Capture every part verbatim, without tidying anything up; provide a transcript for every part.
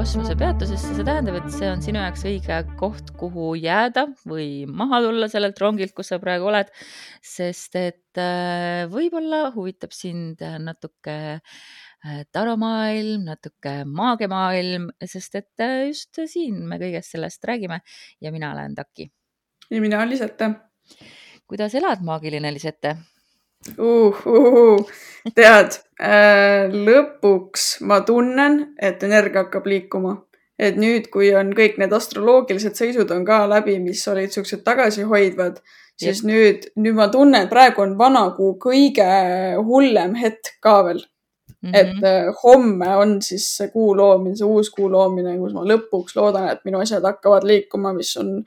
kosmosepeatusesse, see tähendab, et see on sinu jaoks õige koht, kuhu jääda või maha tulla sellelt rongilt, kus sa praegu oled, sest et äh, võib-olla huvitab sind natuke äh, taromaailm, natuke maagiamaailm, sest et äh, just siin me kõigest sellest räägime ja mina olen Taki. Ja mina olen Lisette. Kuidas elad, maagiline Lisette? Uh, uh, uh. Tead, äh, lõpuks ma tunnen, et energia hakkab liikuma. Et nüüd, kui on kõik need astroloogilised seisud on ka läbi, mis olid suksed tagasihoidvad, siis Jep. nüüd, nüüd ma tunnen, et praegu on vanakuu kõige hullem hetk ka veel. Mm-hmm. Et äh, homme on siis see kuu loomine, see uus kuu loomine, kus ma lõpuks loodan, et minu asjad hakkavad liikuma, mis on,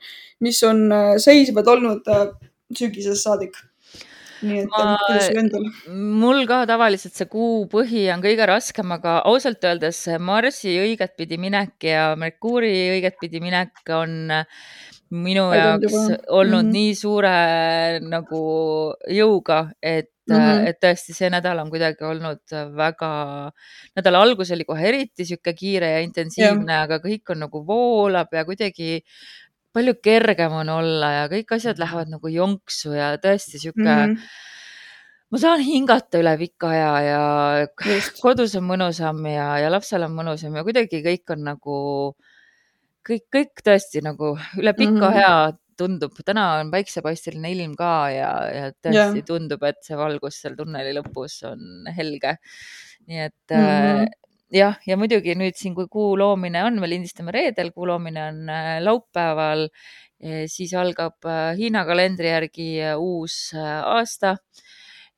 mis on äh, seisvad olnud äh, sügisest saadik. Nii et ma, mul ka tavaliselt see kuu põhi on kõige raskem, aga ausalt öeldes Marsi õiget pidi minek ja Merkuuri õiget pidi minek on minu jaoks olnud mm-hmm. nii suure nagu jõuga, et mm-hmm. et tõesti see nädal on kuidagi olnud väga, nädala algus oli kohe eriti siuke kiire ja intensiivne, yeah. aga kõik on nagu voolab ja kuidagi palju kergem on olla ja kõik asjad lähevad nagu jonksu ja tõesti siuke mm-hmm. ma saan hingata üle pika aja ja Just. kodus on mõnusam ja, ja lapsel on mõnusam ja kuidagi kõik on nagu kõik, kõik tõesti nagu üle pika mm-hmm. aja tundub. Täna on päiksepaisteline ilm ka ja, ja tõesti yeah. tundub, et see valgus seal tunneli lõpus on helge. Nii et mm-hmm. jah, ja muidugi nüüd siin, kui kuu loomine on, me lindistame reedel, kuu loomine on laupäeval, siis algab Hiina kalendri järgi uus aasta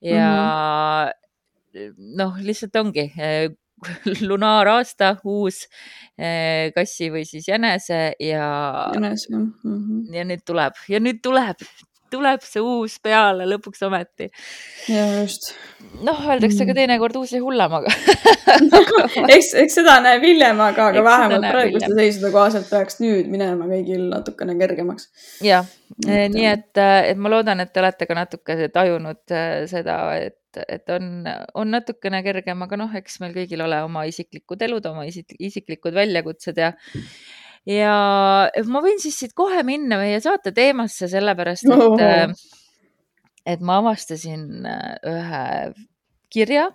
ja mm-hmm. noh, lihtsalt ongi lunaaraasta, uus kassi või siis jänese ja, Jänes, mm-hmm. ja nüüd tuleb ja nüüd tuleb tuleb see uus peale lõpuks ometi. Ja just. Noh, öeldakse ka teinekord uus ja hullem, aga eks, eks seda näeb hiljem, aga, aga vähemalt praeguste seisude kohaselt peaks nüüd minema kõigil natukene kergemaks. Ja, et, nii et, et ma loodan, et te olete ka natuke tajunud seda, et, et on, on natukene kergem, aga noh, eks meil kõigil ole oma isiklikud elud, oma isiklikud väljakutsed ja Ja ma võin siis siit kohe minna meie saate teemasse, sellepärast, et, oh. et ma avastasin ühe kirja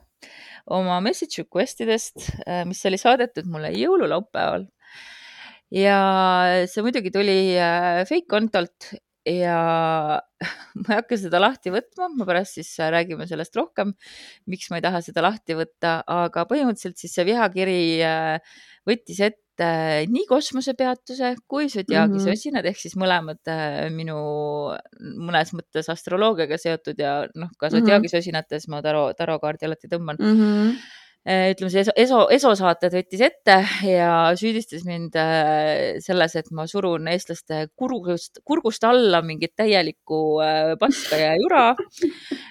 oma message requestidest, mis oli saadetud mulle jõululaupäeval. Ja see muidugi tuli fake kontolt ja ma ei hakka seda lahti võtma, ma pärast siis räägime sellest rohkem, miks ma ei taha seda lahti võtta, aga põhimõtteliselt siis see vihakiri võttis ette nii kosmosepeatuse kui Zodiaagi mm-hmm. sosinad, ehk siis mõlemad minu mõnes mõttes astroloogiaga seotud ja noh, ka Zodiaagi mm-hmm. sosinates ma taro, tarokaardi alati tõmban. Mm-hmm. Ütleme, see eso, eso saated võttis ette ja süüdistas mind selles, et ma surun eestlaste kurgust, kurgust alla mingit täielikku paska ja jura,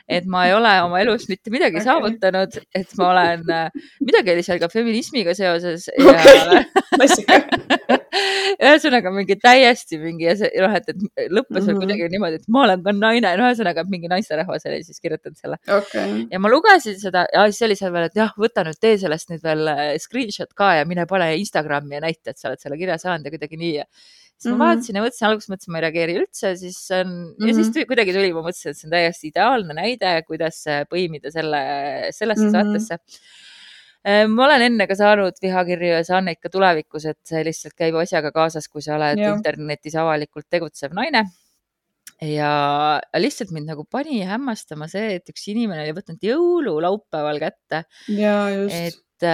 et ma ei ole oma elus mitte midagi okay. saavutanud, et ma olen, midagi oli seal ka feminismiga seoses ja okay. ühesõnaga mingi täiesti mingi, ja see, noh, et, et lõppes mm-hmm. kuidagi niimoodi, et ma olen ka naine, no ühesõnaga mingi naisterahvas oli siis kirjutanud selle. Okay. Ja ma lugesin seda ja siis oli seal veel, et jah, võta nüüd tee sellest nüüd veel screenshot ka ja mine pane Instagrami ja näita, et sa oled selle kirja saanud ja kuidagi nii. Ja siis mm-hmm. ma vaatasin ja mõtlesin, alguses mõtlesin, ma ei reageeri üldse, siis on, mm-hmm. ja siis tuli, kuidagi tuli, ma mõtlesin, et see on täiesti ideaalne näide, kuidas põimida selle, sellesse mm-hmm. saatesse. Ma olen enne ka saanud vihakirju ja saan neid ka tulevikus, et see lihtsalt käib asjaga kaasas, kui sa oled ja. internetis avalikult tegutsev naine. Ja lihtsalt mind nagu pani hämmastama see, et üks inimene oli võtnud jõululaupäeval kätte. Ja, just. Et,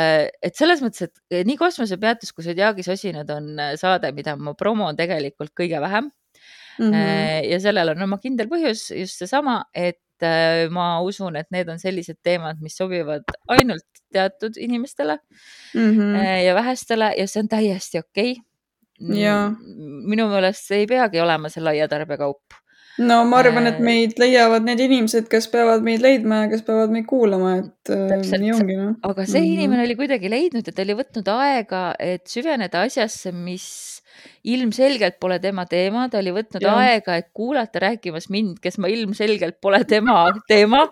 et selles mõttes, et nii kosmosepeatus kui Zodiaagi sosinad on saade, mida ma promon tegelikult kõige vähem. Mm-hmm. Ja sellel on oma kindel põhjus just seesama, et ma usun, et need on sellised teemad, mis sobivad ainult teatud inimestele mm-hmm. ja vähestele ja see on täiesti okei. Ja. Minu meelest ei peagi olema see laia tarbekaup. No ma arvan, et meid leiavad need inimesed, kes peavad meid leidma ja kes peavad meid kuulama, et Täpselt. Nii ongi. No? Aga see mm-hmm. inimene oli kuidagi leidnud ja ta oli võtnud aega, et süveneda asjasse, mis ilmselgelt pole tema teema, ta oli võtnud Jah. aega, et kuulata rääkimas mind, kes ma ilmselgelt pole tema teema.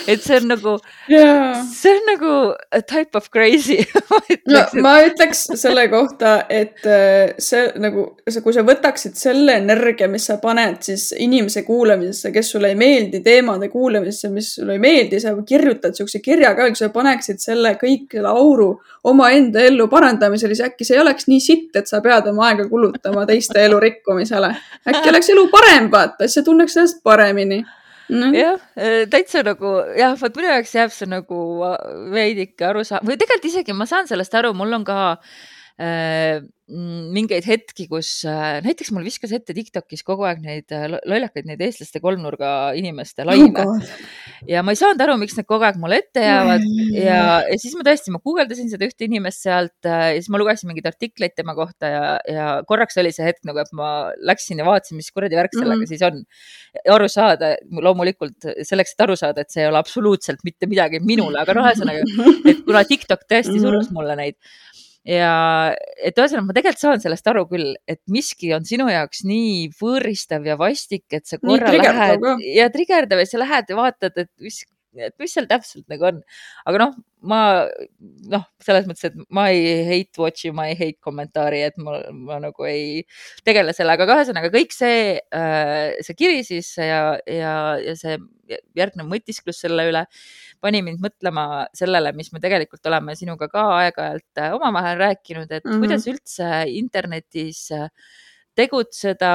Et see on nagu, Jaa. see on nagu a type of crazy. ma No, ütleks, et ma ütleks selle kohta, et äh, see nagu, see- kui sa võtaksid selle energia, mis sa paned siis inimese kuulamisesse, kes sulle ei meeldi, teemade kuulamisesse, mis sulle ei meeldi, sa kirjutad siukse kirja ka, kui sa paneksid selle kõik selle auru omaenda ellu parandamisele, siis äkki see ei oleks nii sitt, et sa pead oma aega kulutama teiste elu rikkumisele. Äkki oleks elu parem, vaata, siis sa tunneks ennast paremini. No. jah, eh, täitsa nagu, jah, vot minu jaoks jääb see nagu veidike aru saa- või tegelikult isegi ma saan sellest aru, mul on ka äh, mm, mingeid hetki, kus äh, näiteks mul viskas ette TikTokis kogu aeg neid äh, lo- lollakaid, neid eestlaste kolmnurga inimeste Oh laine. God. Ja ma ei saanud aru, miks need kogu aeg mulle ette jäävad ja, ja siis ma tõesti, ma guugeldasin seda ühte inimest sealt äh, ja siis ma lugesin mingeid artikleid tema kohta ja, ja korraks oli see hetk nagu, et ma läksin ja vaatasin, mis kuradi värk sellega Mhm. siis on. Ja aru saada, loomulikult selleks, et aru saada, et see ei ole absoluutselt mitte midagi minule, aga noh, ühesõnaga, et kuna TikTok tõesti Mhm. surus mulle neid ja et ühesõnaga ma tegelikult saan sellest aru küll, et miski on sinu jaoks nii võõristav ja vastik, et sa Nii korra trigerdav lähed ka. ja trigerdav ja sa lähed ja vaatad, et mis, et mis seal täpselt nagu on. Aga noh, ma, noh, selles mõttes, et ma ei hate watch'i, ma ei hate kommentaari, et ma, ma nagu ei tegele sellega, aga ühesõnaga kõik see, äh, see kiri siis ja, ja, ja see järgnev mõtisklus selle üle pani mind mõtlema sellele, mis me tegelikult oleme sinuga ka aeg-ajalt äh, omavahel rääkinud, et Mhm. kuidas üldse internetis äh, tegutseda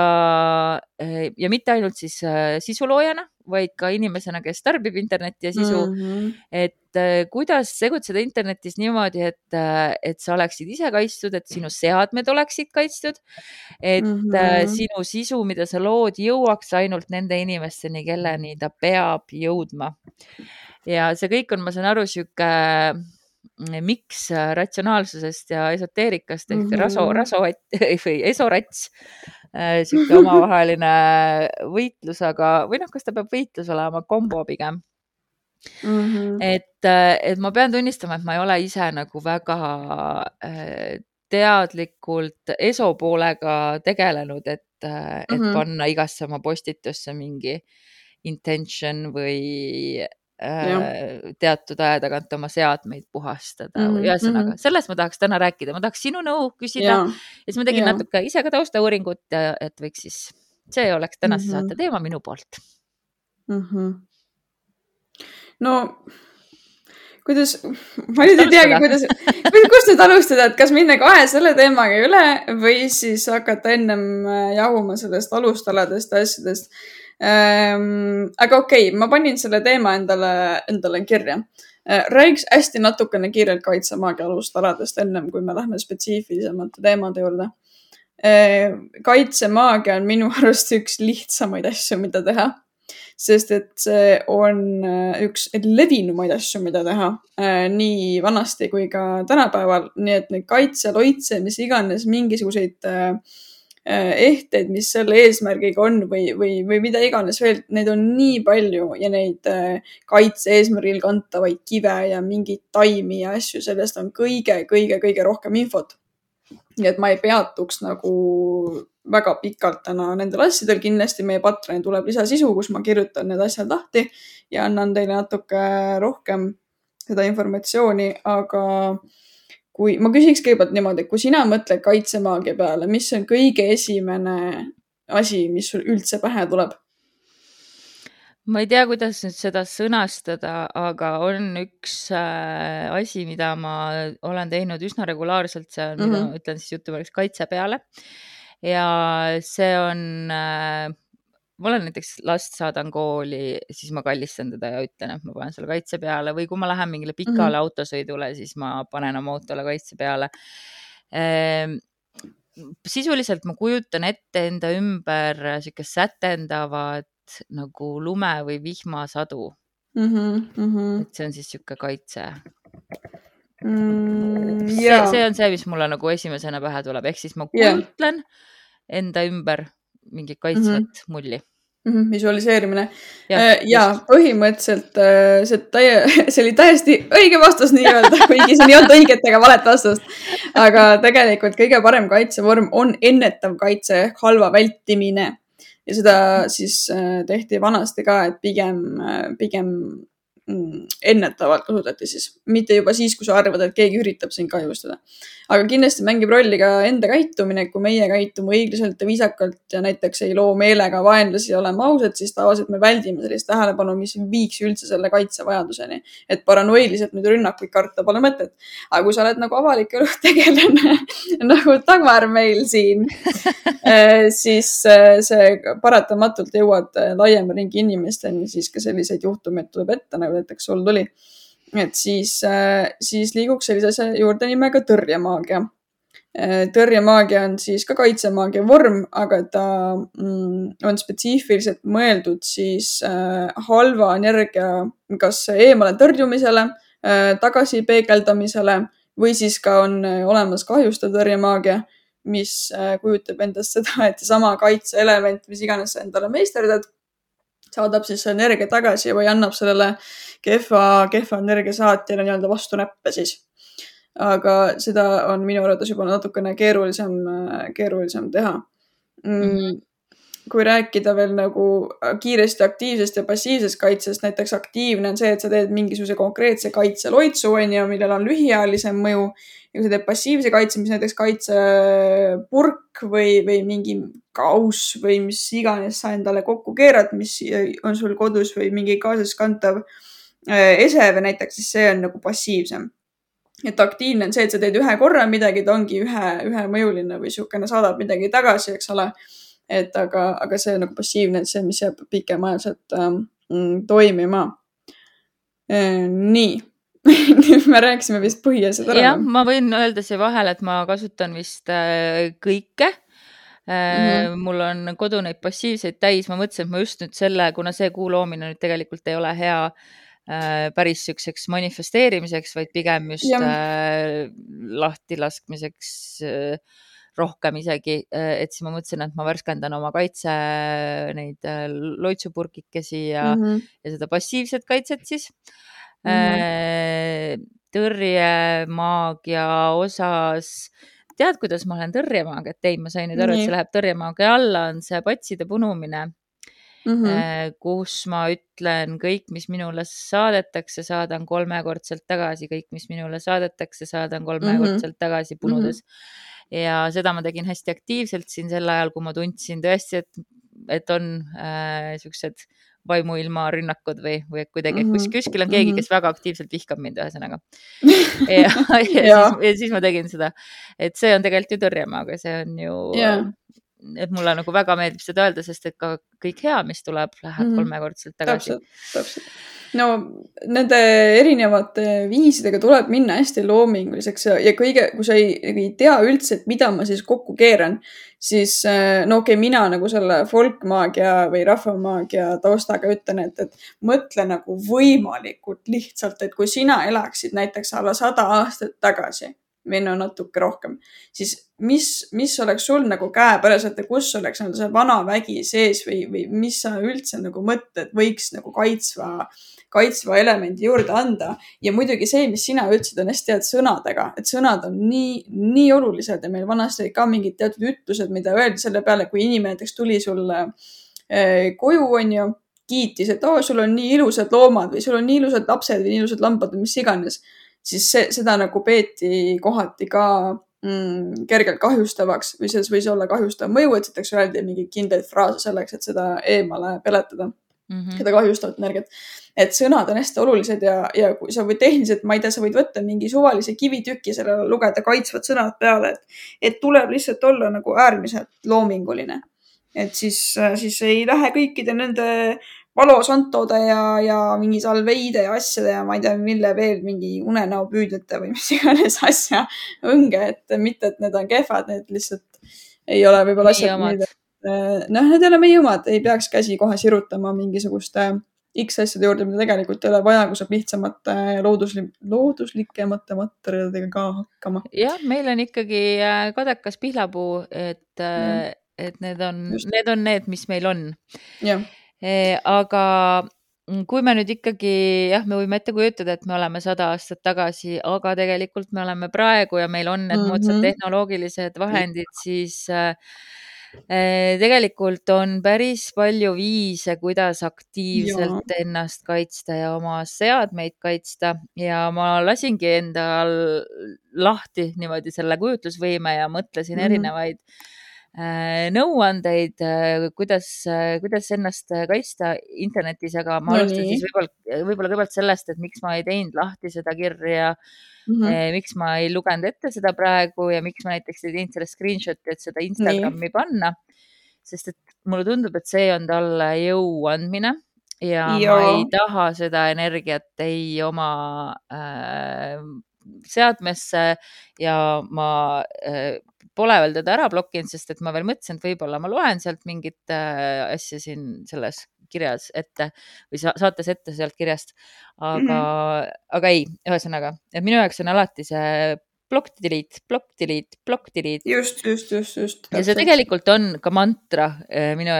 äh, ja mitte ainult siis äh, sisuloojana, vaid ka inimesena, kes tarbib internetti ja sisu, Mhm. et äh, kuidas tegutseda internetis niimoodi, et, äh, et sa oleksid ise kaitstud, et sinu seadmed oleksid kaitstud, et äh, Mhm. sinu sisu, mida sa lood, jõuaks ainult nende inimesteni, kelleni ta peab jõudma. Ja see kõik on, ma saan aru, sihuke mm, miks äh, ratsionaalsusest ja esoteerikast ehk raso, Mhm. raso või esorats, äh, sihuke omavaheline võitlus, aga, või noh, kas ta peab võitlus olema, kombo pigem. Mhm. Et, äh, et ma pean tunnistama, et ma ei ole ise nagu väga äh, teadlikult eso poolega tegelenud, et, äh, et Mhm. panna igasse oma postitusse mingi intention või Jah. äh, teatud aja tagant oma seadmeid puhastada. Mhm. Ühesõnaga, Mhm. sellest ma tahaks täna rääkida. Ma tahaks sinu nõu küsida Jaa. ja siis ma tegin Jaa. natuke ise ka taustauuringut, et võiks siis, see oleks tänase Mhm. saate teema minu poolt. Mhm. No, kuidas, ma nüüd ei teagi, alustada? kuidas, kuidas, kust nüüd alustada, et kas minna kohe selle teemaga üle või siis hakata ennem äh, jahuma sellest alustaladest asjadest. Ähm, aga okei, ma panin selle teema endale, endale kirja. Äh, Räägiks hästi natukene kiirelt kaitsemaagia alustaladest ennem, kui me lähme spetsiifilisemate teemade juurde. Äh, Kaitsemaagia on minu arust üks lihtsamaid asju, mida teha. Sest et see on äh, üks levinumaid asju, mida teha äh, nii vanasti kui ka tänapäeval. Nii et need kaitse, loitse, mis iganes mingisuguseid äh, äh, ehteid, mis selle eesmärgiga on või, või, või mida iganes veel, neid on nii palju ja neid äh, kaitse eesmärgil kantavaid kive ja mingeid taimi ja asju, sellest on kõige, kõige, kõige rohkem infot. Nii et ma ei peatuks nagu väga pikalt täna nendel asjadel. Kindlasti meie Patreon tuleb lisasisu, kus ma kirjutan need asjad lahti ja annan teile natuke rohkem seda informatsiooni, aga kui ma küsiks kõigepealt niimoodi, kui sina mõtled kaitsemaagia peale, mis on kõige esimene asi, mis sul üldse pähe tuleb? Ma ei tea, kuidas nüüd seda sõnastada, aga on üks äh, asi, mida ma olen teinud üsna regulaarselt, see on, mida Mhm. ma ütlen siis jutumärkides kaitse peale. Ja see on, äh, ma olen näiteks last saadan kooli, siis ma kallistan teda ja ütlen, et ma panen selle kaitse peale või kui ma lähen mingile pikale Mhm. autosõidule, siis ma panen oma autole kaitse peale. Ehm, Sisuliselt ma kujutan ette enda ümber sihuke sätendavad nagu lume või vihmasadu, Mhm. Mhm. et see on siis sihuke kaitse. Mm, See, jaa. see on see, mis mulle nagu esimesena pähe tuleb, ehk siis ma Jaa. kujutlen enda ümber mingit Mhm. kaitsvat mulli. Mm-hmm, visualiseerimine. Ja, ja just. põhimõtteliselt see, täie, see oli täiesti õige vastus nii-öelda, kuigi siin ei olnud õiget ega valet vastust. Aga tegelikult kõige parem kaitsevorm on ennetav kaitse ehk halva vältimine. Ja seda siis tehti vanasti ka, et pigem, pigem ennetavalt kasutati siis. Mitte juba siis, kui sa arvad, et keegi üritab sind kahjustada. Aga kindlasti mängib rolli ka enda käitumine, kui meie käitume õiglaselt ja viisakalt ja näiteks ei loo meelega vaenlasi ja oleme ausad, siis tavaliselt me väldime sellist tähelepanu, mis viiks üldse selle kaitsevajaduseni. Et paranoiliselt nüüd rünnakuid karta pole mõtet. Aga kui sa oled nagu avalik elu tegelane, nagu Dagmar meil siin, siis see paratamatult jõuad laiema ringi inimesteni, siis ka selliseid juhtumeid tuleb ette, nagu näiteks sul tuli. Et siis, siis liiguks sellise asja juurde nimega tõrjemaagia. Tõrjemaagia on siis ka kaitsemaagia vorm, aga ta on spetsiifiliselt mõeldud siis halva energia kas eemale tõrjumisele, tagasi peegeldamisele või siis ka on olemas kahjustav tõrjemaagia, mis kujutab endast seda, et sama kaitseelement, mis iganes sa endale meisterdad, saadab siis energia tagasi või annab sellele kehva, kehva energia saatjale nii-öelda vastu näppe siis. Aga seda on minu arvates juba natukene keerulisem, keerulisem teha. Mm. Kui rääkida veel nagu kiiresti aktiivsest ja passiivsest kaitsest, näiteks aktiivne on see, et sa teed mingisuguse konkreetse kaitseloitsu, millel on lühiajalisem mõju. Ja kui sa teed passiivse kaitse, mis näiteks kaitsepurk või, või mingi kaus või mis iganes sa endale kokku keerad, mis on sul kodus või mingi kaasaskantav eseve näiteks, siis see on nagu passiivsem. Et aktiivne on see, et sa teed ühe korra midagi, ta ongi ühe, ühe mõjuline või siukene saadab midagi tagasi, eks ole. Et aga, aga see on nagu passiivne, et see, mis jääb pikemaajaselt ähm, toimima. E, nii. Me rääkisime vist põhiasjad ära. Jah, ma võin öelda siia vahele, et ma kasutan vist äh, kõike. Äh, mm-hmm. Mul on kodu neid passiivseid täis. Ma mõtlesin, et ma just nüüd selle, kuna see kuu loomine nüüd tegelikult ei ole hea äh, päris sükseks manifesteerimiseks, vaid pigem just äh, lahti laskmiseks äh, rohkem isegi. Et siis ma mõtlesin, et ma värskendan oma kaitse neid loitsupurkikesi ja, mm-hmm. ja seda passiivset kaitset siis. Mm-hmm. Tõrjemaagia osas, tead, kuidas ma olen tõrjemaagiat teinud? Ma sain nüüd aru, et see läheb tõrjemaagia alla, on see patside punumine, mm-hmm. kus ma ütlen kõik, mis minule saadetakse, saadan kolmekordselt tagasi, kõik, mis minule saadetakse, saadan kolmekordselt mm-hmm. tagasi punudes. Mm-hmm. Ja seda ma tegin hästi aktiivselt siin sel ajal, kui ma tundsin tõesti, et, et on äh, siuksed vaimuilma rünnakud või, või kuidagi, et kus kuskil on keegi, kes väga aktiivselt vihkab mind ühesõnaga. ja, ja, ja, siis, ja siis ma tegin seda, et see on tegelikult ju tõrjemaagia, see on ju, yeah. et mulle nagu väga meeldib seda öelda, sest et ka kõik hea, mis tuleb, läheb mm-hmm. kolmekordselt tagasi. Täpselt, täpselt. No nende erinevate viisidega tuleb minna hästi loominguliseks ja, ja kõige, kui sa ei, ei tea üldse, et mida ma siis kokku keeran, siis no okei, okay, mina nagu selle folkmaagia või rahvamaagia taustaga ütlen, et, et mõtle nagu võimalikult lihtsalt, et kui sina elaksid näiteks alla sada aastat tagasi või no natuke rohkem, siis mis, mis oleks sul nagu käepäraselt ja kus oleks nagu see vana vägi sees või, või mis sa üldse nagu mõtled, võiks nagu kaitsva kaitsva elemendi juurde anda. Ja muidugi see, mis sina ütlesid, on hästi head sõnadega, et sõnad on nii, nii olulised ja meil vanasti ka mingid teatud ütlused, mida öeldi selle peale, kui inimene näiteks tuli sulle eh, koju, on ju, kiitis, et oh, sul on nii ilusad loomad või sul on nii ilusad lapsed või nii ilusad lambad või mis iganes, siis see, seda nagu peeti kohati ka mm, kergelt kahjustavaks või selles võis olla kahjustav mõju, et näiteks öeldi mingi kindlaid fraase selleks, et seda eemale peletada. Mm-hmm. Seda kahjustavat energiat. Et sõnad on hästi olulised ja, ja kui sa võid tehniliselt, ma ei tea, sa võid võtta mingi suvalise kivitüki sellele lugeda kaitsvad sõnad peale, et, et tuleb lihtsalt olla nagu äärmiselt loominguline. Et siis, siis ei lähe kõikide nende valosantode ja, ja mingi salveide ja asjade ja ma ei tea, mille veel mingi unenäo püüdjate või mis iganes asja õnge, et mitte, et need on kehvad, need lihtsalt ei ole võib-olla asjad, mida noh, need ei ole meie omad, ei peaks käsi kohe sirutama mingisuguste X asjade juurde, mida tegelikult ei ole vaja, kui saab lihtsamate loodusli- looduslikemate materjalidega ka hakkama. jah, meil on ikkagi kadekas pihlapuu, et, et need on, need on need, mis meil on. jah. Aga kui me nüüd ikkagi, jah, me võime ette kujutada, et me oleme sada aastat tagasi, aga tegelikult me oleme praegu ja meil on need Mhm. moodsad tehnoloogilised vahendid, siis äh, tegelikult on päris palju viise, kuidas aktiivselt Jaa. ennast kaitsta ja oma seadmeid kaitsta ja ma lasingi endal lahti niimoodi selle kujutlusvõime ja mõtlesin Mhm. erinevaid äh, nõuandeid, äh, kuidas, äh, kuidas ennast kaitsta internetis, aga ma No alustan nii. siis võib-olla, võib-olla kõigepealt sellest, et miks ma ei teinud lahti seda kirja, Mhm. eh, miks ma ei lugenud ette seda praegu ja miks ma näiteks ei teinud selle screenshot'i, et seda Instagrami panna, sest et mulle tundub, et see on talle jõu andmine ja ma Jaa. ei taha seda energiat ei oma äh, seadmesse ja ma äh, pole veel teda ära blokkinud, sest et ma veel mõtlesin, et võib-olla ma loen sealt mingit äh, asja siin selles kirjas ette või sa saates ette sealt kirjast, aga Mhm. aga ei, ühesõnaga, et minu jaoks on alati see block delete, block delete, block delete. Just, just, just, just. Ja see tegelikult on ka mantra eh, minu,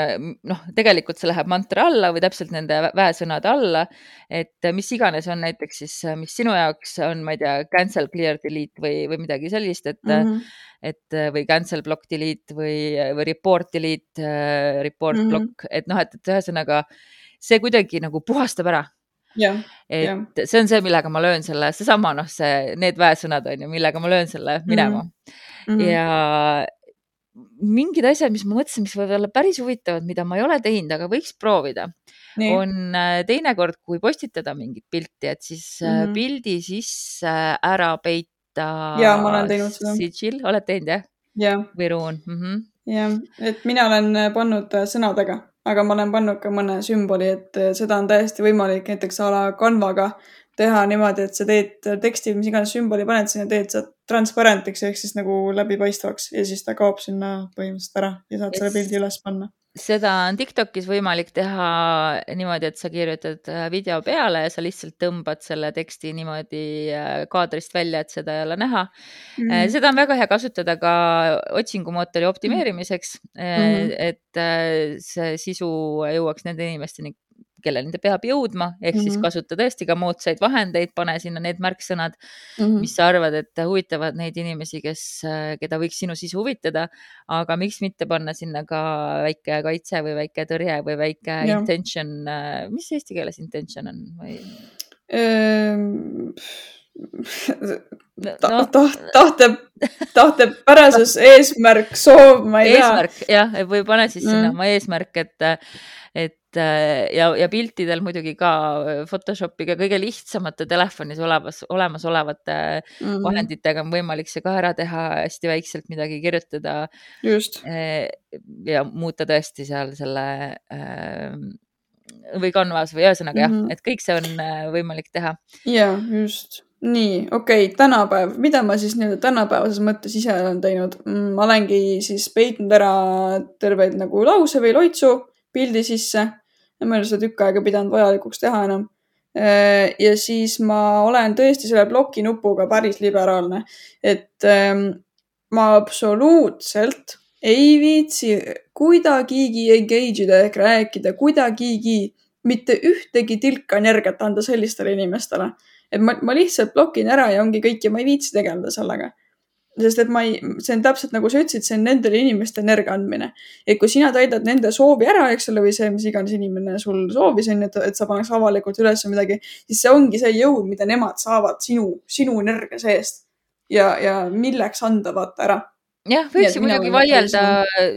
noh, tegelikult see läheb mantra alla või täpselt nende vä- väesõnade alla, et mis iganes on näiteks siis, mis sinu jaoks on, ma ei tea, cancel, clear, delete või, või midagi sellist, et Mhm. et või cancel, block, delete või, või report, delete, äh, report, Mhm. block, et noh, et, et ühesõnaga see kuidagi nagu puhastab ära. Jah, Et jah. see on see, millega ma löön selle, seesama, noh, see, need väesõnad on ju, millega ma löön selle minema. Mhm. Ja mingid asjad, mis ma mõtlesin, mis võivad olla päris huvitavad, mida ma ei ole teinud, aga võiks proovida, Nii. on äh, teinekord, kui postitada mingit pilti, et siis äh, Mhm. pildi sisse ära peita Jaa, ma olen teinud seda. sigil, oled teinud, jah? Jah. Või ruun? Mhm. Jah, et mina olen pannud sõnadega, aga ma olen pannud ka mõne sümboli, et seda on täiesti võimalik näiteks a la Canvaga teha niimoodi, et sa teed teksti, mis iganes sümboli paned sinna, teed sa transparentiks ehk siis nagu läbipaistvaks ja siis ta kaob sinna põhimõtteliselt ära ja saad selle pildi üles panna. Seda on TikTokis võimalik teha niimoodi, et sa kirjutad video peale ja sa lihtsalt tõmbad selle teksti niimoodi kaadrist välja, et seda ei ole näha. Mhm. Seda on väga hea kasutada ka otsingumootori optimeerimiseks, Mhm. et see sisu jõuaks nende inimesteni, kelleni ta peab jõudma, ehk siis Mhm. kasuta tõesti ka moodsaid vahendeid, pane sinna need märksõnad, Mhm. mis sa arvad, et huvitavad neid inimesi, kes, keda võiks sinu sisu huvitada, aga miks mitte panna sinna ka väike kaitse või väike tõrje või väike Jah. intention, mis eesti keeles intention on? Või... Ehm, ta, No, taht, tahte, tahtepärasus, eesmärk, soov, ma ei tea. eesmärk, jah, või pane siis sinna Mm. oma eesmärk, et, et ja, ja piltidel muidugi ka Photoshopiga kõige lihtsamate telefonis olemas, olemasolevate Mhm. vahenditega on võimalik see ka ära teha, hästi väikselt midagi kirjutada Just. eh, ja muuta tõesti seal selle eh, või Canvas või ühesõnaga jah, Mhm. et kõik see on eh, võimalik teha. Jaa, just. Nii, okei, tänapäev. Mida ma siis nii-öelda tänapäevases mõttes ise olen teinud? Ma olengi siis peitnud ära terveid nagu lause või loitsu pildi sisse. Ja ma ei ole seda tükk aega pidanud vajalikuks teha enam. Ja siis ma olen tõesti selle bloki nupuga päris liberaalne. Et ähm, ma absoluutselt ei viitsi kuidagigi engage ida ehk rääkida, kuidagigi mitte ühtegi tilka energiat anda sellistele inimestele. Et ma, ma lihtsalt blokin ära ja ongi kõik ja ma ei viitsi tegeleda sellega. Sest et ma ei, see on täpselt nagu sa ütlesid, see on nendele inimeste energia andmine. Et kui sina täidad nende soovi ära, eks ole, või see, mis iganes inimene sul soovis, on, et, et sa paneks avalikult üles midagi, siis see ongi see jõud, mida nemad saavad sinu, sinu energia seest. Ja, ja milleks anda vaata ära. Jah, võiks ju muidugi vaielda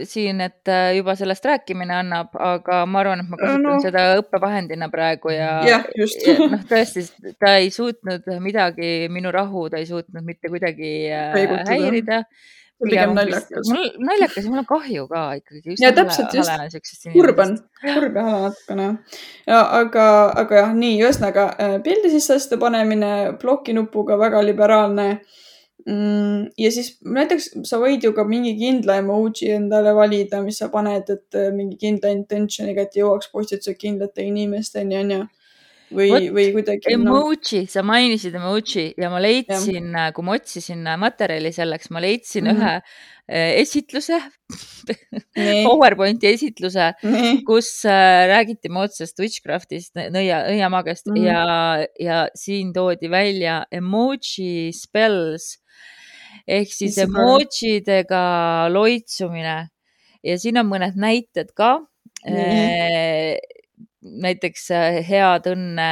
siin, et juba sellest rääkimine annab, aga ma arvan, et ma kasutan no. seda õppevahendina praegu ja, ja, just. ja noh, tõesti, ta ei suutnud midagi, minu rahu, ta ei suutnud mitte kuidagi Peigutada. häirida. Pigem naljakas. Mul naljakas ja mul on kahju ka ikkagi. Ja täpselt just. Kurban. Kurb ja hala natukene. Ja, aga, aga jah, nii, ühesõnaga pildi sisse asjade panemine blokinupuga väga liberaalne. Ja siis näiteks sa võid ju ka mingi kindla emoji endale valida, mis sa paned, et mingi kindla intentioniga, et jõuaks postitused kindlate inimesteni, on ju. või, Vot, või kuidagi no, emoji, sa mainisid emoji ja ma jah. leidsin, kui ma otsisin materjali selleks, ma leidsin Mhm. ühe eh, esitluse, Nii, PowerPointi esitluse, nii. kus äh, räägiti moodsast witchcraftist, nõia, nõiamagiast Mhm. ja, ja siin toodi välja emoji spells ehk siis Issand, väga. emojidega loitsumine ja siin on mõned näited ka. Nii. Eh, näiteks äh, head õnne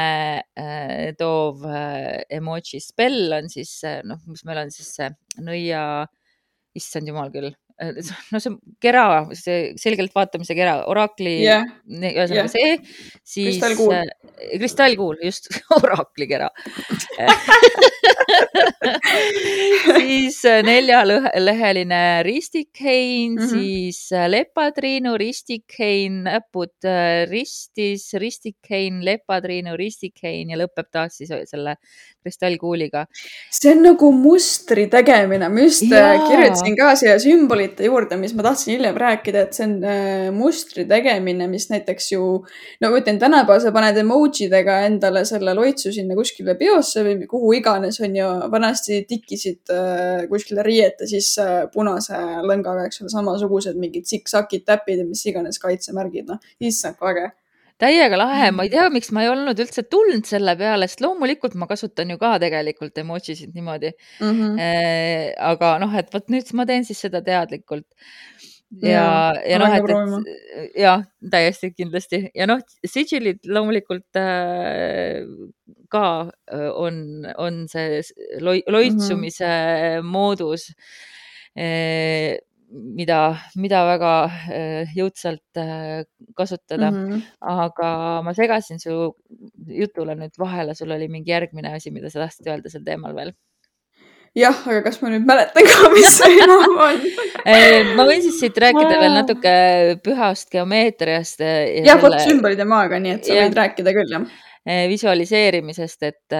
äh, toov äh, emoji spell on siis, äh, noh, mis meil on siis see nõia, issand jumal küll, äh, no see kera, see selgelt vaatamise kera, orakli, Jah, ühesõnaga jah. see, siis Kristallkuul. äh, kristallkuul, just, orakli kera. siis äh, neljaleheline ristikhein, Mhm. siis äh, lepatriinu, ristikhein, näpud äh, ristis, ristikhein, lepatriinu, ristikhein ja lõpeb taas siis selle kristallkuuliga. See on nagu mustri tegemine. Ma just äh, Jaa. kirjutasin ka siia sümbolite juurde, mis ma tahtsin hiljem rääkida, et see on äh, mustri tegemine, mis näiteks ju, no ma ütlen, tänapäeval sa paned emojidega endale selle loitsu sinna kuskile peosse või kuhu iganes on ju, vanasti tikkisid äh, kuskile riiete sisse punase lõngaga, eks ole, samasugused mingid siksakid, täpid ja mis iganes kaitsemärgid, noh, issand, kui äge. Täiega lahe, ma ei tea, miks ma ei olnud üldse tulnud selle peale, sest loomulikult ma kasutan ju ka tegelikult emojisid niimoodi. Mm -hmm. Eh, aga noh, et vot nüüd ma teen siis seda teadlikult. Ja, Jaa, ja ma noh, lähen ka et, proovima. et jah, täiesti kindlasti. Ja noh, sigilid loomulikult äh, ka äh, on, on see loi, loitsumise mm -hmm. moodus, eh, mida, mida väga äh, jõudsalt äh, kasutada. Mm -hmm. Aga ma segasin su jutule nüüd vahele, sul oli mingi järgmine asi, mida sa tahtsid öelda sel teemal veel. Jah, aga kas ma nüüd mäletan ka, mis see enam on? Ma võin siis siit rääkida veel natuke pühast geomeetriast. Jah, vot sümbolid ja maaga, nii et sa võid rääkida küll, jah. Visualiseerimisest, et,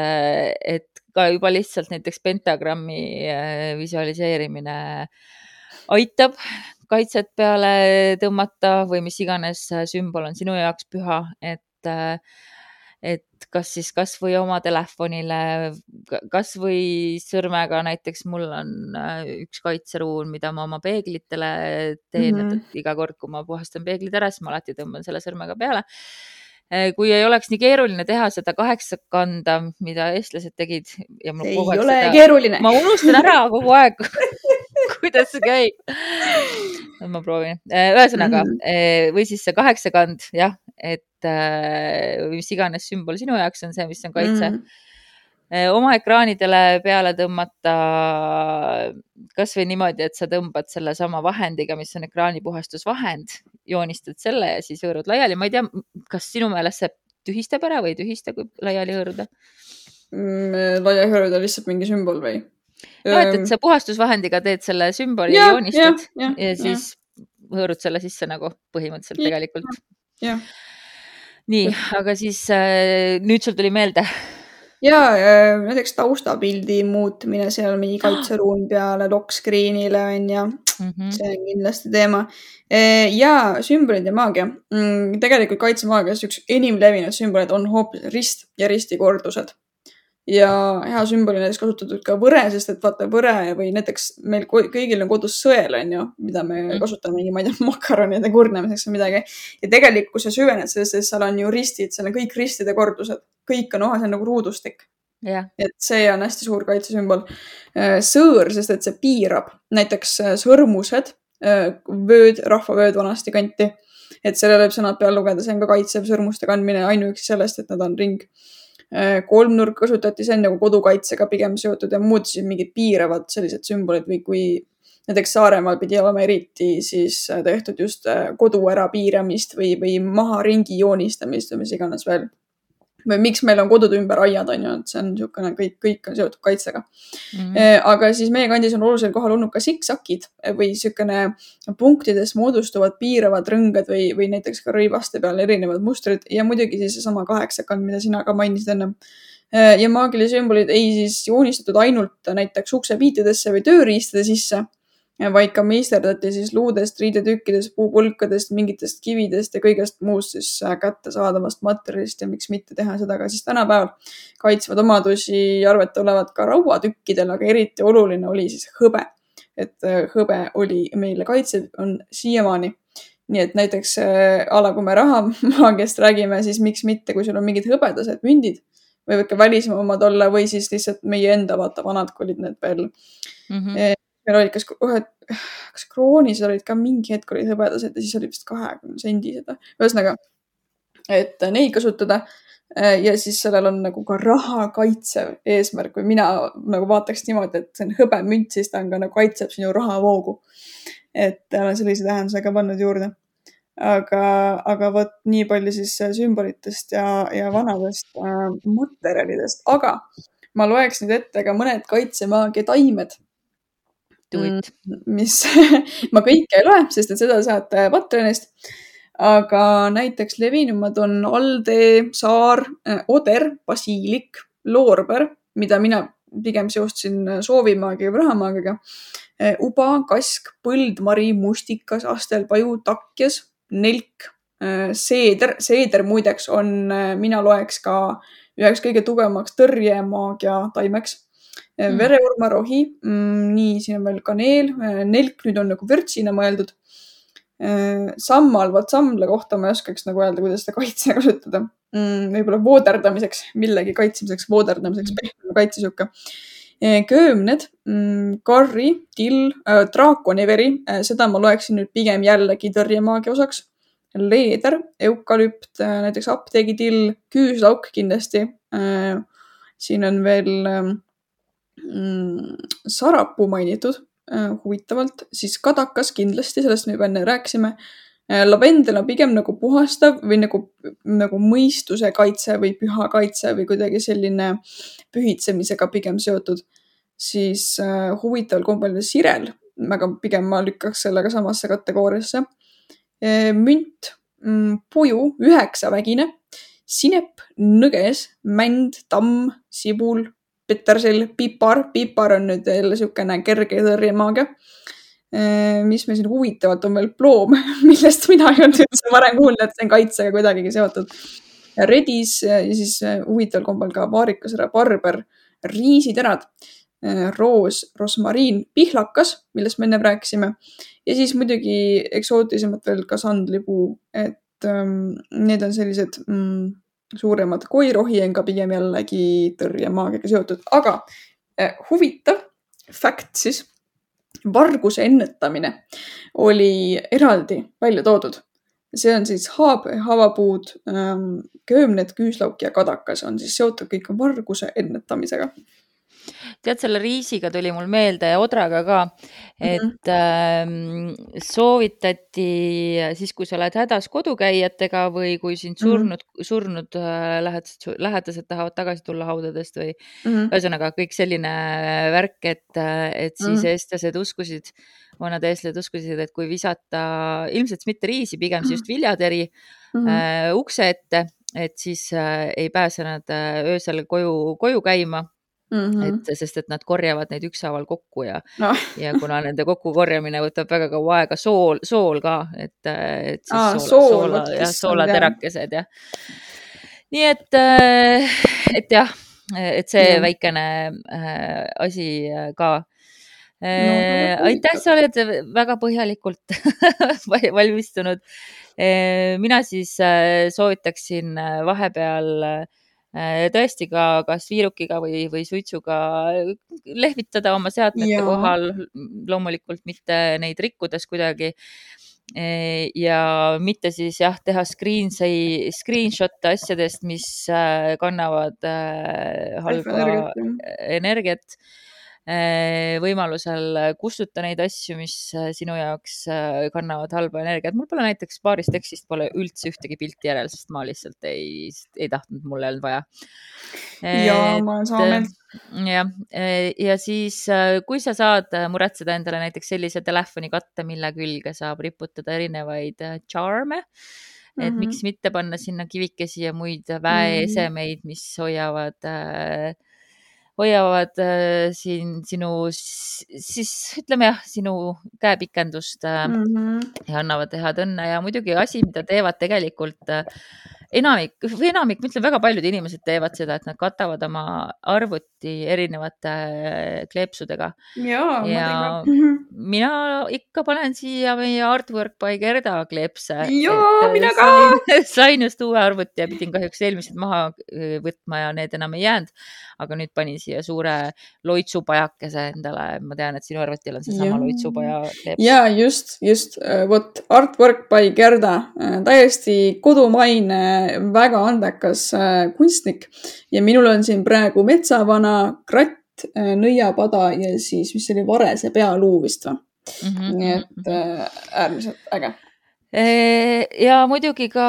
et ka juba lihtsalt näiteks pentagrammi visualiseerimine aitab kaitset peale tõmmata või mis iganes sümbol on sinu jaoks püha, et et kas siis kas või oma telefonile, kas või sõrmega, näiteks mul on üks kaitseruun, mida ma oma peeglitele teen, mm -hmm. et iga kord, kui ma puhastan peeglid ära, siis ma alati tõmban selle sõrmega peale. Kui ei oleks nii keeruline teha seda kaheksakanda, mida eestlased tegid. Ja ei ole seda, keeruline. Ma unustan ära kogu aeg, kuidas see käib. Ma proovin. Ühesõnaga, mm -hmm. või siis see kaheksakand, jah, et mis iganes sümbol sinu jaoks on see, mis on kaitse. Mm -hmm. Oma ekraanidele peale tõmmata kas või niimoodi, et sa tõmbad selle sama vahendiga, mis on ekraanipuhastusvahend, joonistad selle ja siis hõõrud laiali. Ma ei tea, kas sinu meelest see tühistab ära või ei tühista, kui laiali hõõruda? Mm, laiali hõõruda lihtsalt mingi sümbol või? No, et, et sa puhastusvahendiga teed selle sümboli ja, ja joonistad ja, ja, ja siis ja. hõõrud selle sisse nagu põhimõtteliselt ja, tegelikult. Ja. Nii, aga siis äh, nüüd sul tuli meelde. Ja näiteks taustapildi muutmine seal mingi kaitseruum peale lock screen'ile on ja mm -hmm. see on kindlasti teema. Ja sümbolid ja maagia. Tegelikult kaitsemaagias üks enim levinud sümbolid on hoopis rist ja ristikordused. Ja hea sümboli näiteks kasutatud ka võre, sest et vaata võre või näiteks meil kõigil on kodus sõel, on ju, mida me mm. kasutame, ma ei tea, makaronide kurnemiseks või midagi. Ja tegelikult, kui sa süvened sellest, sest seal on ju ristid, seal on kõik ristide kordused. Kõik on oha, see on nagu ruudustik. Yeah. Et see on hästi suur kaitsesümbol. Sõõr, sest et see piirab näiteks sõrmused, vööd, rahvavööd vanasti kanti. Et selle võib sõnad peal lugeda, see on ka kaitsev sõrmuste kandmine ainuüksi sellest, et nad on ring. Kolmnurk kasutati, see on nagu kodukaitsega pigem seotud ja muud siis mingid piiravad sellised sümbolid või kui näiteks Saaremaal pidi olema eriti siis tehtud just kodu ära piiramist või, või maha ringi joonistamist või mis iganes veel. Või miks meil on kodud ümber aiad, on ju, et see on niisugune, kõik, kõik on seotud kaitsega. Mm -hmm. Aga siis meie kandis on olulisel kohal olnud ka siksakid või niisugune punktides moodustuvad piiravad rõngad või, või näiteks ka rõivaste peal erinevad mustrid ja muidugi siis seesama kaheksakand, mida sina ka mainisid enne. Ja maagilised sümbolid ei siis joonistatud ainult näiteks uksepiitidesse või tööriistade sisse, vaid ka meisterdati siis luudest, riidetükkidest, puupulkadest, mingitest kividest ja kõigest muust siis kättesaadavast materjalist ja miks mitte teha seda ka siis tänapäeval. Kaitsvad omadusi arvete olevat ka rauatükkidel, aga eriti oluline oli siis hõbe. Et hõbe oli meile kaitsev, on siiamaani. Nii et näiteks ala, kui me rahamaagiast räägime, siis miks mitte, kui sul on mingid hõbedased mündid, või võike välismaa omad olla või siis lihtsalt meie enda vaata vanad, kui olid need veel. Mm -hmm. Meil olid kas, kas kroonis olid ka mingi hetk olid hõbedased ja siis oli vist kahekümne sendised. Ühesõnaga, et neid kasutada ja siis sellel on nagu ka raha kaitsev eesmärk või mina nagu vaataks niimoodi, et see on hõbemünt, siis ta on ka nagu kaitseb sinu rahavoogu. Et olen sellise tähendusega pannud juurde. Aga, aga võt nii palju siis sümbolitest ja, ja vanadest äh, materjalidest. Aga ma loeks nüüd ette ka mõned kaitsemaagia taimed. Mis ma kõike ei loe, sest et seda saate Patreonist. Aga näiteks levinumad on aldee, saar, oder, basiilik, loorber, mida mina pigem seostasin soovimaagia või rahamaagiaga. Uba, kask, põld, mari, mustikas, astelpaju, takjas, nelk, seeder. Seeder muideks on, mina loeks ka üheks kõige tugevamaks tõrjemaagia taimeks. Mm. Vereurma, rohi, mm, nii, siin on veel kaneel, nelk nüüd on nagu vürtsina mõeldud. Sammal, vaat samla kohta ma ei oskaks nagu öelda, kuidas seda kaitse kasutada. Mm, võib-olla vooderdamiseks, millegi kaitsmiseks, vooderdamiseks, pehme kaitsesuka. Köömned, mm, karri, till, äh, draakoniveri, äh, seda ma loeksin nüüd pigem jällegi tõrjemaagia osaks. Leeder, eukalüpt, äh, näiteks apteegitill, küüslauk kindlasti. Äh, siin on veel äh, mm, sarapuu mainitud äh, huvitavalt, siis kadakas kindlasti, sellest me juba enne rääkisime. Äh, lavendel on pigem nagu puhastav või nagu, nagu mõistuse kaitse või püha kaitse või kuidagi selline pühitsemisega pigem seotud. Siis äh, huvitaval kombel sirel, aga pigem ma lükkaks sellega samasse kategooriasse. Äh, münt, mm, puju, üheksavägine, sinep, nõges, mänd, tamm, sibul, petersel, pipar. Pipar on nüüd jälle siukene kerge tõrjemaagia. Mis me siin huvitavalt on veel ploom, millest mina ei olnud üldse varem kuulnud, et see on kaitsega kuidagigi seotud. Redis ja siis huvitaval kombel ka vaarikas, barber, riisiterad, roos, rosmariin, pihlakas, millest me enne rääkisime. Ja siis muidugi eksootisemad veel ka sandlipuu, et um, need on sellised mm, suuremad. Koirohi on ka pigem jällegi tõrjemaagiaga seotud. Aga eh, huvitav fakt siis, varguse ennetamine oli eraldi välja toodud. See on siis haab, haavapuud, köömned, küüslauk ja kadakas on siis seotud kõik varguse ennetamisega. Tead, selle riisiga tuli mul meelde ja odraga ka, et mm-hmm. äh, soovitati siis, kui sa oled hädas kodukäijatega või kui sind surnud, mm-hmm. surnud äh, lähedased, lähedased tahavad tagasi tulla haudadest või mm-hmm. ühesõnaga kõik selline värk, et, et siis mm-hmm. eestlased uskusid, vanad eestlased uskusid, et kui visata ilmselt mitte riisi, pigem mm-hmm. just viljateri mm-hmm. äh, ukse ette, et siis äh, ei pääse nad äh, öösel koju, koju käima. Mm-hmm. Et, sest et nad korjavad neid ükshaaval kokku ja, no. ja kuna nende kokkukorjamine võtab väga kaua aega, sool, sool ka, et, et siis Aa, soola, sool, soola, jah, soolaterakesed ja. Nii et, et jah, et see ja. väikene äh, asi ka. No, aitäh, sa oled väga põhjalikult valmistunud. Mina siis soovitaksin vahepeal tõesti ka kas viirukiga või, või suitsuga lehvitada oma seadmete ja. kohal, loomulikult mitte neid rikkudes kuidagi ja mitte siis jah, teha screen, screenshot asjadest, mis kannavad halba energiat, energiat. Võimalusel kustuta neid asju, mis sinu jaoks kannavad halba energiat. Mul pole näiteks paarist tekstist pole üldse ühtegi pilti järel, sest ma lihtsalt ei, ei tahtnud, mul ei olnud vaja. Ja, ma olen sama meelt. Ja, ja siis, kui sa saad muretseda endale näiteks sellise telefonikatte, mille külge saab riputada erinevaid charme, et mm-hmm. miks mitte panna sinna kivikesi ja muid väeesemeid, mis hoiavad hoiavad äh, siin sinu, siis ütleme jah, sinu käepikendust äh, mm -hmm. ja annavad head õnne ja muidugi asi, mida teevad tegelikult äh, enamik, või enamik, ma ütlen, väga paljud inimesed teevad seda, et nad katavad oma arvuti erinevate kleepsudega. Jaa, ja ma teen ka. mina ikka panen siia meie Artwork by Gerda kleepse. Jaa, mina ka! Sain, sain just uue arvuti ja pidin kahjuks eelmised maha võtma ja need enam ei jäänud. Aga nüüd panin siia suure loitsupajakese endale. Ma tean, et sinu arvutil on seesama Jaa. loitsupaja kleeps. Jaa, just, just. Vot Artwork by Gerda. Täiesti kodumaine, väga andekas kunstnik. Ja minul on siin praegu metsavana kratt, nõiapada ja siis, mis oli varese pealuu vist või. Mm -hmm. Nii et äärmiselt äge. Ja muidugi ka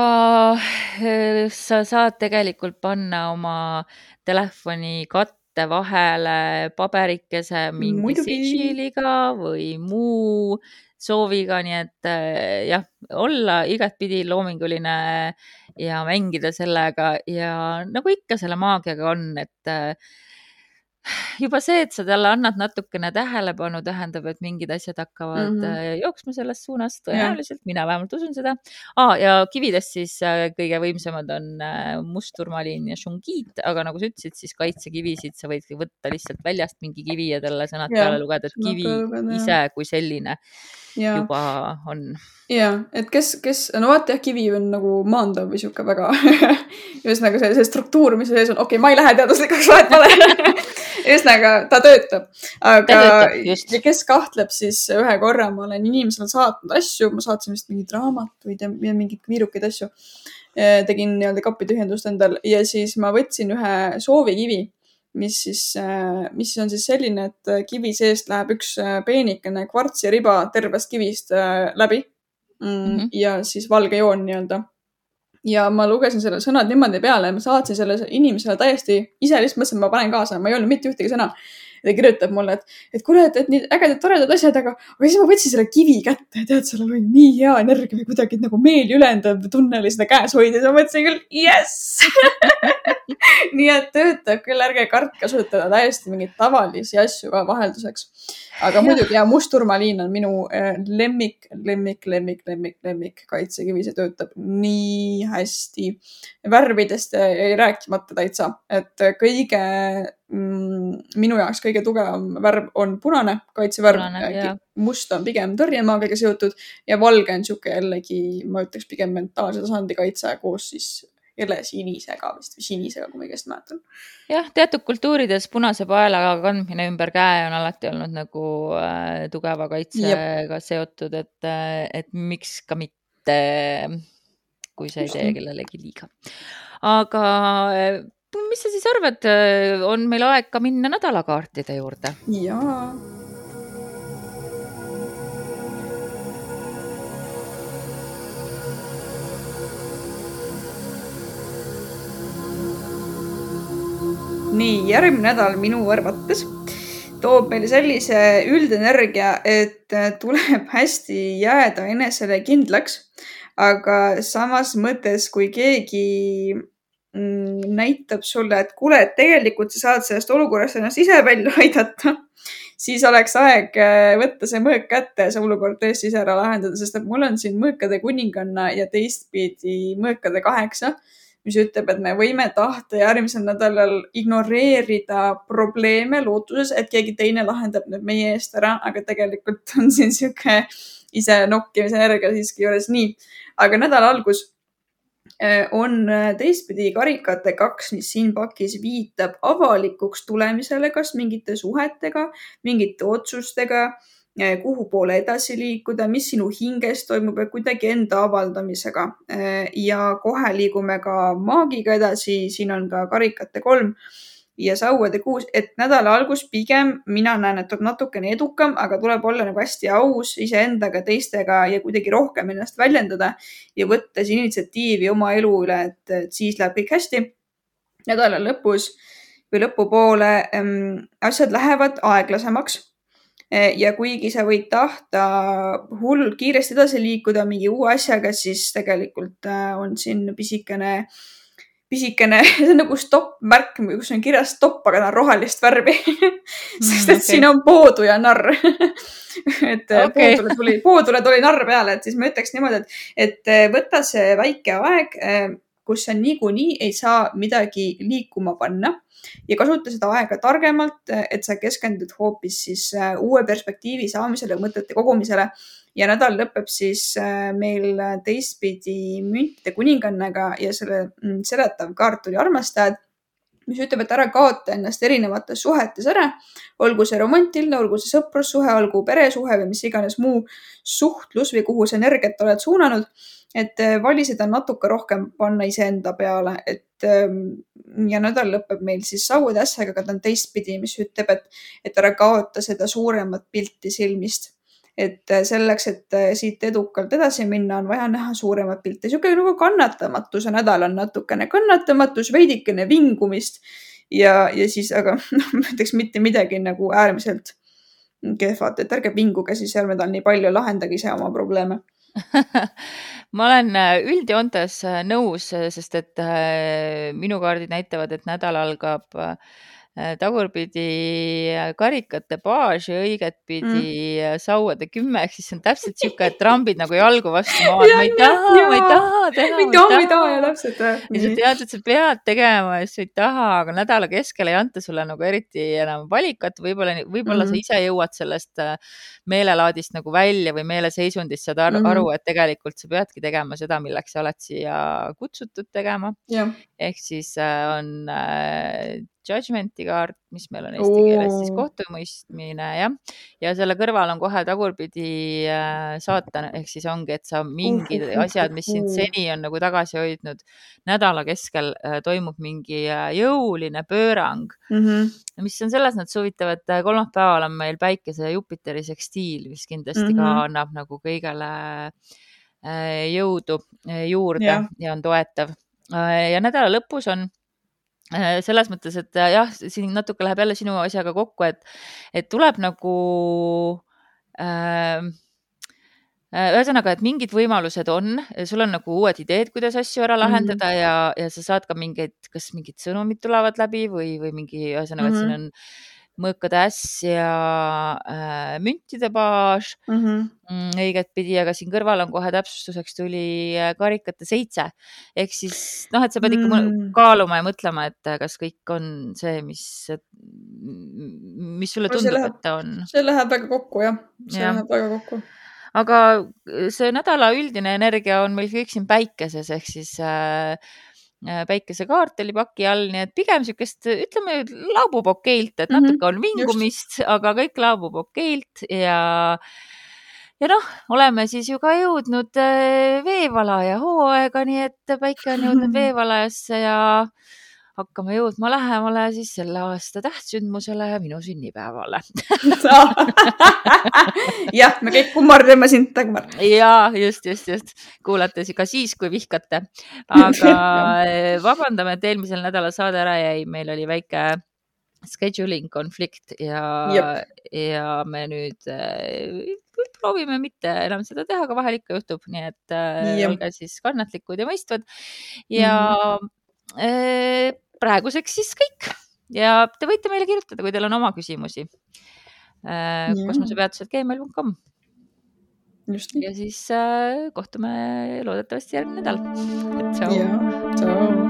sa saad tegelikult panna oma telefoni katte vahele paberikese mingi sigiliga või muu sooviga, nii et jah, olla igatpidi loominguline ja mängida sellega ja nagu ikka selle maagiaga on, et juba see, et sa talle annad natukene tähelepanu, tähendab, et mingid asjad hakkavad mm -hmm. jooksma selles suunas tõenäoliselt, mina vähemalt usun seda. Ah, ja kividest siis kõige võimsamad on mustturmaliin ja šungiit, aga nagu sa ütlesid, siis kaitsekivisid sa võid võtta lihtsalt väljast mingi kivi ja talle sõnad ja, peale lugeda, et kivi lugeda, ise kui selline ja. juba on. Ja, et kes, kes, no vaata jah, kivi on nagu maandav või siuke väga just nagu see, see struktuur, mis sees on, okei okay,, ma ei lähe teaduslikuks vahet vale ühesõnaga, ta töötab, aga ta töötab, ja kes kahtleb, siis ühe korra ma olen inimesele saatnud asju, ma saatsin vist mingeid raamatuid ja mingeid viirukeid asju, tegin nii-öelda kapitühjendust endal ja siis ma võtsin ühe soovikivi, mis siis, mis on siis selline, et kivi seest läheb üks peenikene kvartsiriba tervest kivist läbi mm, mm-hmm. ja siis valge joon nii-öelda. Ja ma lugesin selle sõnad niimoodi peale ja ma saatsin selle inimesele täiesti ise lihtsalt mõtlesin, et ma panen kaasa, ma ei olnud mitte ühtegi sõna. Ja ta kirjutab mulle, et, et kuule, et, et nii ägedad, toredad asjad, aga, aga siis ma võtsin selle kivi kätte ja tead, seal oli nii hea energia või kuidagi nagu meeli ülendav tunne oli seda käes hoida ja ma mõtlesin küll, yes! nii et töötab küll, ärge kartke kasutada täiesti mingeid tavalisi asju ka vahelduseks. Aga muidugi ja mustturmaliin on minu lemmik, lemmik, lemmik, lemmik, lemmik kaitsekivi, see töötab nii hästi. Värvidest ei rääkimata täitsa, et kõige mm, minu jaoks kõige tugevam värv on punane kaitsevärv. Punane, must on pigem tõrjemaagiaga seotud ja valge on siuke jällegi, ma ütleks pigem mentaalse tasandi kaitse koos siis jälle sinisega vist või sinisega, kui ma õigesti mäletan. Jah, teatud kultuurides punase paela kandmine ümber käe on alati olnud nagu äh, tugeva kaitsega Jep. seotud, et, et miks ka mitte, kui sa ei tee kellelegi liiga. Aga mis sa siis arvad, on meil aeg ka minna nädalakaartide juurde? Jaa. Nii, järgmine nädal minu arvates toob meile sellise üldenergia, et tuleb hästi jääda enesele kindlaks, aga samas mõttes, kui keegi mm, näitab sulle, et kuule, et tegelikult sa saad sellest olukorrast ennast ise välja aidata, siis oleks aeg võtta see mõõk kätte ja see olukord tõesti ise ära lahendada, sest et mul on siin mõõkade kuninganna ja teistpidi mõõkade kaheksa, mis ütleb, et me võime tahta järgmisel nädalal ignoreerida probleeme lootuses, et keegi teine lahendab need meie eest ära, aga tegelikult on siin siuke ise nokkimise energia siiski juures nii. Aga nädala algus on teistpidi karikate kaks, mis siin pakis viitab avalikuks tulemisele, kas mingite suhetega, mingite otsustega, kuhu poole edasi liikuda, mis sinu hinges toimub ja kuidagi enda avaldamisega. Ja kohe liigume ka maagiga edasi, siin on ka karikate kolm ja sauade kuus, et nädala algus pigem mina näen, et on natukene edukam, aga tuleb olla nagu hästi aus iseendaga, teistega ja kuidagi rohkem ennast väljendada ja võttes initsiatiivi oma elu üle, et, et siis läheb kõik hästi. Nädala lõpus või lõpupoole ähm, asjad lähevad aeglasemaks. Ja kuigi sa võid tahta hull kiiresti edasi liikuda mingi uue asjaga, siis tegelikult on siin pisikene pisikene, see on nagu stopp-märk, kus on kirjas stopp, aga ta on rohelist värvi sest et okay. siin on poodu ja narr et Okay. poodule tuli, poodule tuli narr peale, et siis ma ütleks niimoodi, et, et võta see väike aeg, kus sa niikuinii ei saa midagi liikuma panna ja kasuta seda aega targemalt, et sa keskendud hoopis siis uue perspektiivi saamisele, mõtete kogumisele ja nädal lõpeb siis meil teistpidi müntide kuningannaga ja selle seletav kaart oli armastajad, mis ütleb, et ära kaota ennast erinevates suhetes ära, olgu see romantiline, olgu see sõprussuhe, olgu peresuhe või mis iganes muu suhtlus või kuhu see energiat oled suunanud, et vali seda natuke rohkem panna iseenda peale, et ja nädal lõpeb meil siis sauade ässaga, aga ta on teistpidi, mis ütleb, et, et ära kaota seda suuremat pilti silmist. Et selleks, et siit edukalt edasi minna, on vaja näha suuremat pilti. Siuke nagu kannatamatuse nädal on natukene kannatamatus, veidikene vingumist ja, ja siis, aga no, ma ütleks mitte midagi nagu äärmiselt kehvat, et ärge vinguge siis seal nädal nii palju, lahendagi ise oma probleeme. ma olen üldjoontes nõus, sest et minu kaardid näitavad, et nädal algab tagurpidi karikate baas ja õigetpidi mm. sauade kümme, ehk siis on täpselt siuke, et trambid nagu jalgu vastu maad. Ma ei taha, ma ei taha teha, ma ei taha, ma ei taha ja täpselt. Ja sa tead, et sa pead tegema ja sa ei taha, aga nädala keskel ei anta sulle nagu eriti enam valikat. Võib-olla, võib-olla mm-hmm. sa ise jõuad sellest meelelaadist nagu välja või meeleseisundist saad aru, mm-hmm. et tegelikult sa peadki tegema seda, milleks sa oled siia kutsutud tegema. Yeah. Ehk siis on äh, judgmenti kaart, mis meil on eesti keeles siis kohtumõistmine, jah. Ja selle kõrval on kohe tagurpidi äh, saatan, ehk siis ongi, et sa mingid uh, uh, asjad, mis sind seni on nagu tagasi hoidnud, nädala keskel äh, toimub mingi äh, jõuline pöörang, mm-hmm. mis on selles nad suvitavad, kolmapäeval on meil päikese ja Jupiteri sekstiil, mis kindlasti mm-hmm. ka annab nagu kõigele äh, jõudu äh, juurde yeah. ja on toetav. Äh, ja nädala lõpus on selles mõttes, et jah, siin natuke läheb jälle sinu asjaga kokku, et, et tuleb nagu äh, ühesõnaga, et mingid võimalused on, sul on nagu uued ideed, kuidas asju ära lahendada mm-hmm. ja, ja sa saad ka mingeid, kas mingid sõnumid tulevad läbi või, või mingi, ühesõnaga, mm-hmm. et siin on mõõkade äss ja äh, müntide baas mm-hmm. õiget pidi, aga siin kõrval on kohe täpsustuseks tuli karikate seitse. Ehk siis, noh, et sa pead ikka mm. kaaluma ja mõtlema, et kas kõik on see, mis, mis sulle tundub, läheb, et ta on. See läheb väga kokku, jah. See ja. läheb väga kokku. Aga see nädala üldine energia on meil kõik siin päikeses, ehk siis äh, päikesekaart oli paki all, nii et pigem sükest, ütleme, laabub okeilt, et mm-hmm. natuke on vingumist, just. Aga kõik laabub okeilt ja, ja noh, oleme siis ju ka jõudnud veevalaja hooaega, nii et päike on jõudnud veevalajasse ja hakkame jõudma lähemale siis selle aasta tähtsündmusele ja minu sünnipäevale. jah, me kõik kummardame sind, Dagmar. Ja, just, just, just. Kuulates ka siis, kui vihkate. Aga vabandame, et eelmisel nädala saade ära jäi. Meil oli väike scheduling konflikt ja, ja me nüüd proovime mitte enam seda teha, aga vahel ikka juhtub. Nii et Jep. olge siis kannatlikud ja mõistvad. Ja mm. praeguseks siis kõik. Ja te võite meile kirjutada, kui teil on oma küsimusi. kosmosepeatused gmail punkt com. Just nii. Ja siis äh, kohtume loodetavasti järgmine nädal. Tšau. Ja, tšau.